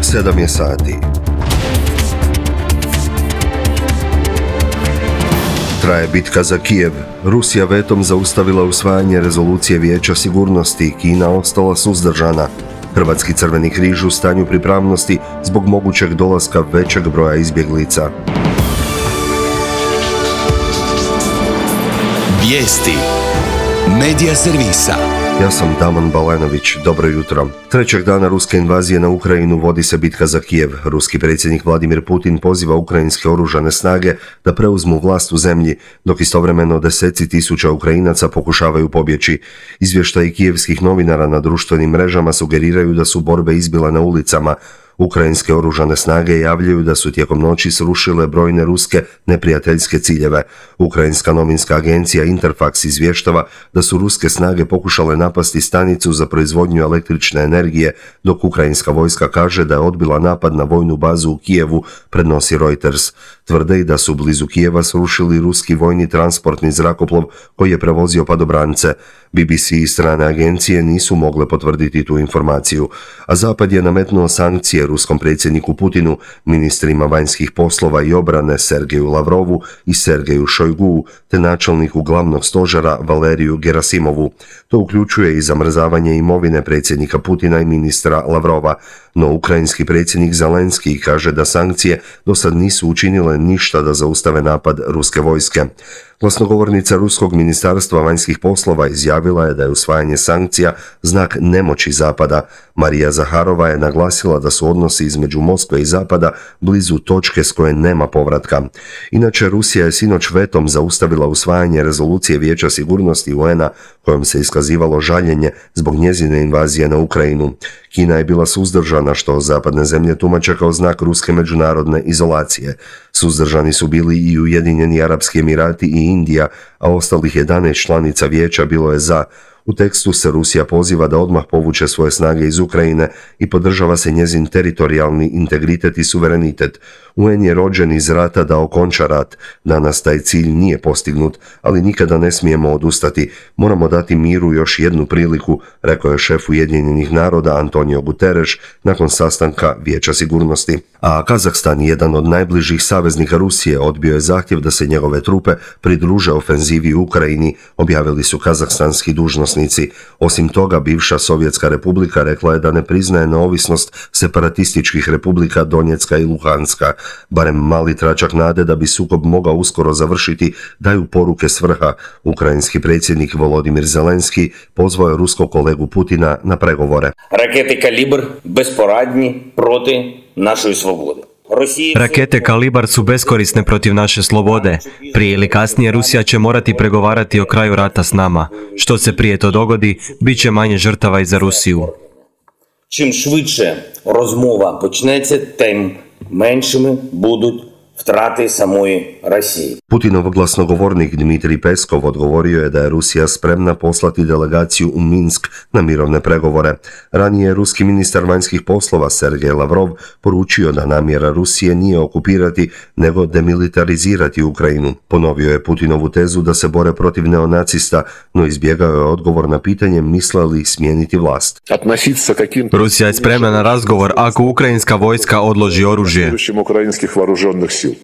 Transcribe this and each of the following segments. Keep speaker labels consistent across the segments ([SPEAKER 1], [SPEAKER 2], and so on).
[SPEAKER 1] 7 je sati. Traje bitka za Kijev. Rusija vetom zaustavila usvajanje rezolucije Vijeća sigurnosti, Kina ostala suzdržana. Hrvatski Crveni križ u stanju pripravnosti zbog mogućeg dolaska većeg broja izbjeglica.
[SPEAKER 2] Vijesti Medija servisa.
[SPEAKER 1] Ja sam Damon Balenović, dobro jutro. Trećeg dana ruske invazije na Ukrajinu vodi se bitka za Kijev. Ruski predsjednik Vladimir Putin poziva ukrajinske oružane snage da preuzmu vlast u zemlji, dok istovremeno deseci tisuća Ukrajinaca pokušavaju pobjeći. Izvještaji kijevskih novinara na društvenim mrežama sugeriraju da su borbe izbile na ulicama. Ukrajinske oružane snage javljaju da su tijekom noći srušile brojne ruske neprijateljske ciljeve. Ukrajinska novinska agencija Interfax izvještava da su ruske snage pokušale napasti stanicu za proizvodnju električne energije, dok ukrajinska vojska kaže da je odbila napad na vojnu bazu u Kijevu, prenosi Reuters. Tvrde i da su blizu Kijeva srušili ruski vojni transportni zrakoplov koji je prevozio padobrance. BBC i strane agencije nisu mogle potvrditi tu informaciju, a Zapad je nametnuo sankcije ruskom predsjedniku Putinu, ministrima vanjskih poslova i obrane Sergeju Lavrovu i Sergeju Šojguu, te načelniku glavnog stožera Valeriju Gerasimovu. To uključuje i zamrzavanje imovine predsjednika Putina i ministra Lavrova, no ukrajinski predsjednik Zelenski kaže da sankcije do sad nisu učinile ništa da zaustave napad ruske vojske. Glasnogovornica Ruskog ministarstva vanjskih poslova izjavila je da je usvajanje sankcija znak nemoći Zapada. Marija Zaharova je naglasila da su odnosi između Moskve i Zapada blizu točke s koje nema povratka. Inače, Rusija je sinoć vetom zaustavila usvajanje rezolucije Vijeća sigurnosti UN-a kojom se iskazivalo žaljenje zbog njezine invazije na Ukrajinu. Kina je bila suzdržana, što zapadne zemlje tumače kao znak ruske međunarodne izolacije. Suzdržani su bili i Ujedinjeni Arapski Emirati i Indija, a ostalih 11 članica vijeća bilo je za. U tekstu se Rusija poziva da odmah povuče svoje snage iz Ukrajine i podržava se njezin teritorijalni integritet i suverenitet. UN je rođen iz rata da okonča rat. Danas taj cilj nije postignut, ali nikada ne smijemo odustati. Moramo dati miru još jednu priliku, rekao je šef Ujedinjenih naroda Antonio Guterres nakon sastanka Vijeća sigurnosti. A Kazahstan, jedan od najbližih saveznika Rusije, odbio je zahtjev da se njegove trupe pridruže ofenzivi u Ukrajini, objavili su kazahstanski dužnosnici. Osim toga, bivša Sovjetska republika rekla je da ne priznaje neovisnost separatističkih republika Donjecka i Luhanska. Barem mali tračak nade da bi sukob mogao uskoro završiti daju poruke s vrha. Ukrajinski predsjednik Volodimir Zelenski pozvao je ruskog kolegu Putina na pregovore.
[SPEAKER 3] Rakete Kalibr besporadni proti našoj slobodi.
[SPEAKER 4] Rakete Kalibar su beskorisne protiv naše slobode. Prije ili kasnije Rusija će morati pregovarati o kraju rata s nama. Što se prije to dogodi, bit će manje žrtava i za Rusiju.
[SPEAKER 3] Čim šviče rozmova počnеться, tem menšimi budуть втрати самої Росії.
[SPEAKER 1] Putinov glasnogovornik Dmitrij Peskov odgovorio je da je Rusija spremna poslati delegaciju u Minsk na mirovne pregovore. Ranije je ruski ministar vanjskih poslova Sergej Lavrov poručio da namjera Rusije nije okupirati, nego demilitarizirati Ukrajinu. Ponovio je Putinovu tezu da se bore protiv neonacista, no izbjegao je odgovor na pitanje misle li smijeniti vlast.
[SPEAKER 4] Rusija je spremna na razgovor ako ukrajinska vojska odloži oružje.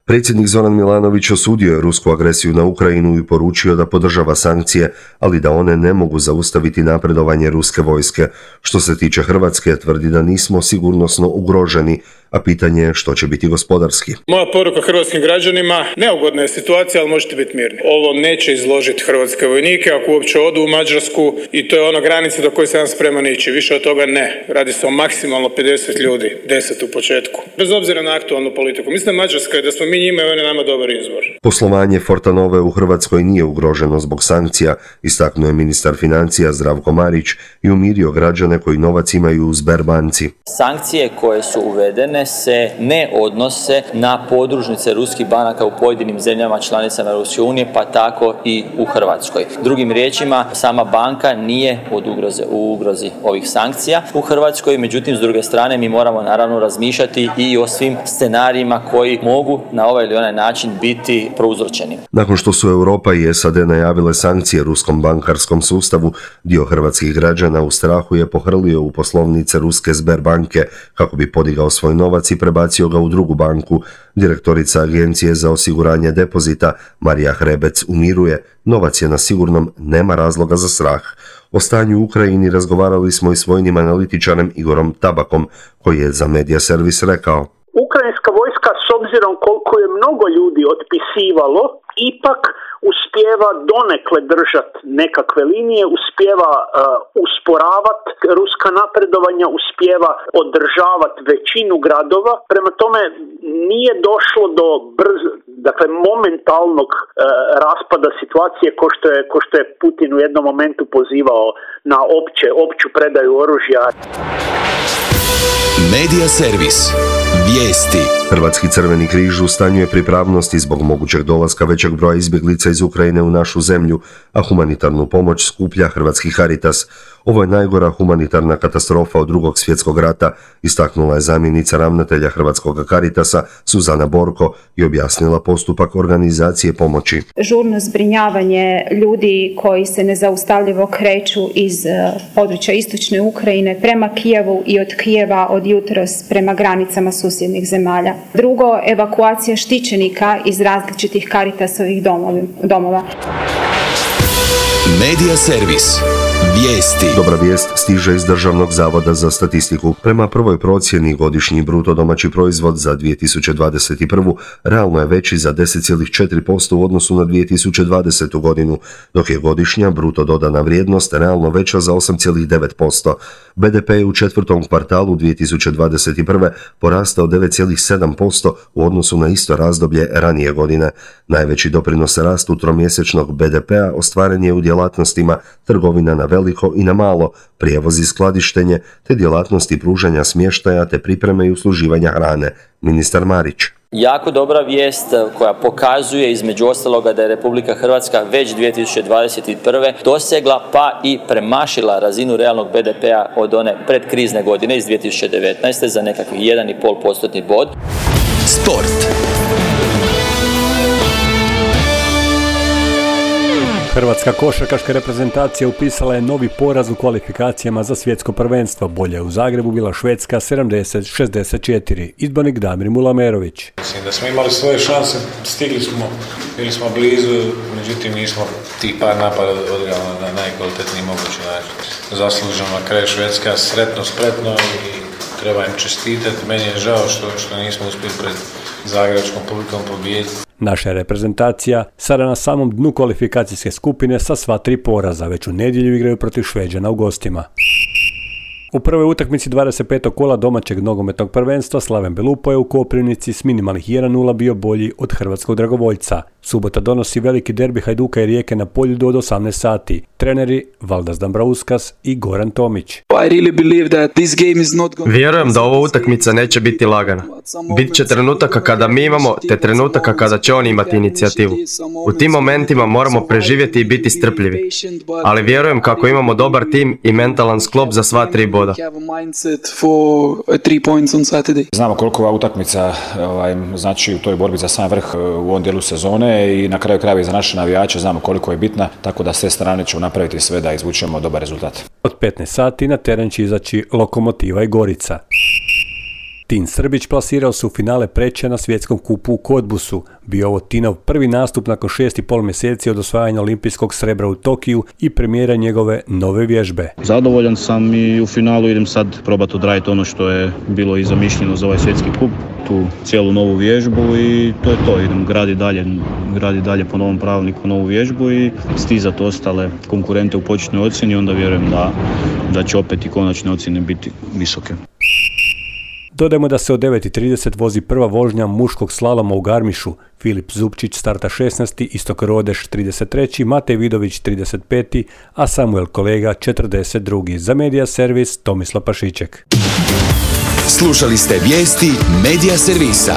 [SPEAKER 1] Predsjednik Zoran Milanović osudio je rusku agresiju na Ukrajinu i poručio da podržava sankcije, ali da one ne mogu zaustaviti napredovanje ruske vojske. Što se tiče Hrvatske, tvrdi da nismo sigurnosno ugroženi, a pitanje je što će biti gospodarski.
[SPEAKER 5] Moja poruka hrvatskim građanima, neugodna je situacija, ali možete biti mirni. Ovo neće izložiti hrvatske vojnike ako uopće odu u Mađarsku i to je ona granica do koje sam spreman ići. Više od toga ne. Radi se o maksimalno 50 ljudi, 10 u početku. Bez obzira na aktualnu politiku. Mislim da Mađarska je da smo mi njima i on je nama dobar izbor.
[SPEAKER 1] Poslovanje Fortanove u Hrvatskoj nije ugroženo zbog sankcija, istaknuo je ministar financija Zdravko Marić i umirio građane koji novac imaju u Sberbanci.
[SPEAKER 6] Sankcije koje su uvedene se ne odnose na podružnice ruskih banaka u pojedinim zemljama članicama Europske unije, pa tako i u Hrvatskoj. Drugim riječima, sama banka nije u ugrozi ovih sankcija u Hrvatskoj, međutim, s druge strane, mi moramo naravno razmišljati i o svim scenarijima koji mogu na ovaj ili onaj način biti prouzročeni.
[SPEAKER 1] Nakon što su Europa i SAD najavile sankcije ruskom bankarskom sustavu, dio hrvatskih građana u strahu je pohrlio u poslovnice ruske Sberbanke kako bi podigao svoj novac i prebacio ga u drugu banku. Direktorica Agencije za osiguranje depozita Marija Hrebec umiruje, novac je na sigurnom, nema razloga za strah. O stanju u Ukrajini razgovarali smo i s vojnim analitičarem Igorom Tabakom, koji je za Media Servis rekao:
[SPEAKER 7] Ukrajinska vojska, s obzirom koliko je mnogo ljudi otpisivalo, ipak uspijeva donekle držati nekakve linije, uspijeva usporavati ruska napredovanja, uspijeva održavati većinu gradova. Prema tome nije došlo do momentalnog raspada situacije ko što je Putin u jednom momentu pozivao na opću predaju oružja.
[SPEAKER 2] Media Servis. Vijesti.
[SPEAKER 1] Hrvatski Crveni križ u stanju je pripravnosti zbog mogućeg dolaska većeg broja izbjeglica iz Ukrajine u našu zemlju, a humanitarnu pomoć skuplja Hrvatski Caritas. Ovo je najgora humanitarna katastrofa od Drugog svjetskog rata, istaknula je zamjenica ravnatelja Hrvatskog Caritasa Suzana Borko i objasnila postupak organizacije pomoći.
[SPEAKER 8] Žurno zbrinjavanje ljudi koji se nezaustavljivo kreću iz područja istočne Ukrajine prema Kijevu i od Kijeva od jutros prema granicama susjednih zemalja. Drugo, evakuacija štićenika iz različitih Caritasovih domova.
[SPEAKER 2] Media Servis. Vijesti.
[SPEAKER 1] Dobra vijest stiže iz Državnog zavoda za statistiku. Prema prvoj procjeni godišnji bruto domaći proizvod za 2021. realno je veći za 10,4% u odnosu na 2020. godinu, dok je godišnja bruto dodana vrijednost realno veća za 8,9%. BDP je u četvrtom kvartalu 2021. porastao 9,7% u odnosu na isto razdoblje ranije godine. Najveći doprinos rastu tromjesečnog BDP-a ostvaren je u djelatnostima trgovina na veliko i na malo, prijevoz i skladištenje, te djelatnosti pružanja smještaja te pripreme i usluživanja hrane. Ministar Marić.
[SPEAKER 6] Jako dobra vijest koja pokazuje između ostaloga da je Republika Hrvatska već 2021. dosegla pa i premašila razinu realnog BDP-a od one predkrizne godine iz 2019. za nekakvih 1,5% bod.
[SPEAKER 2] Sport.
[SPEAKER 9] Hrvatska košarkaška reprezentacija upisala je novi poraz u kvalifikacijama za svjetsko prvenstvo. Bolje je u Zagrebu bila Švedska 70-64. Izbornik Damir Mulamerović.
[SPEAKER 10] Mislim da smo imali svoje šanse, bili smo blizu, međutim nismo tih par napada odigrali na najkvalitetniji mogući način. Zasluženo na kraju Švedska sretno, spretno i treba im čestitati. Meni je žao što nismo uspjeli pred zagrebačkom publikom pobijediti.
[SPEAKER 9] Naša reprezentacija sada na samom dnu kvalifikacijske skupine sa sva 3 poraza, već u nedjelju igraju protiv Šveđana u gostima. U prvoj utakmici 25. kola domaćeg nogometnog prvenstva Slaven Belupo je u Koprivnici s minimalnih 1:0 bio bolji od hrvatskog dragovoljca. Subota donosi veliki derbi Hajduka i Rijeke na Poljudu od 18 sati. Treneri Valdas Dambrauskas i Goran Tomić.
[SPEAKER 4] Vjerujem da ova utakmica neće biti lagana. Bit će trenutaka kada mi imamo, te trenutaka kada će oni imati inicijativu. U tim momentima moramo preživjeti i biti strpljivi. Ali vjerujem kako imamo dobar tim i mentalan sklop za sva 3 boda.
[SPEAKER 11] Znamo koliko ova utakmica znači u toj borbi za sam vrh u ovom dijelu sezone i na kraju krajeva i za naše navijače znamo koliko je bitna, tako da s te strane ćemo napraviti sve da izvučemo dobar rezultat.
[SPEAKER 9] Od 15 sati na teren će izaći Lokomotiva i Gorica. Tin Srbić plasirao se u finale Preča na svjetskom kupu u Kodbusu. Bio ovo Tinov prvi nastup nakon 6,5 mjeseci od osvajanja olimpijskog srebra u Tokiju i premijera njegove nove vježbe.
[SPEAKER 12] Zadovoljan sam i u finalu idem sad probati odraditi ono što je bilo i zamišljeno za ovaj svjetski kup, tu cijelu novu vježbu i to je to. Idem gradi dalje po novom pravilniku novu vježbu i stizati ostale konkurente u početnoj ocjeni, onda vjerujem da će opet i konačne ocjene biti visoke.
[SPEAKER 9] Dodajmo da se od 9:30 vozi prva vožnja muškog slaloma u Garmišu. Filip Zupčić starta 16. Istok Rodeš 33. Matej Vidović 35. a Samuel Kolega 42. Za Media Servis Tomislav Pašiček.
[SPEAKER 2] Slušali ste vijesti Media Servisa.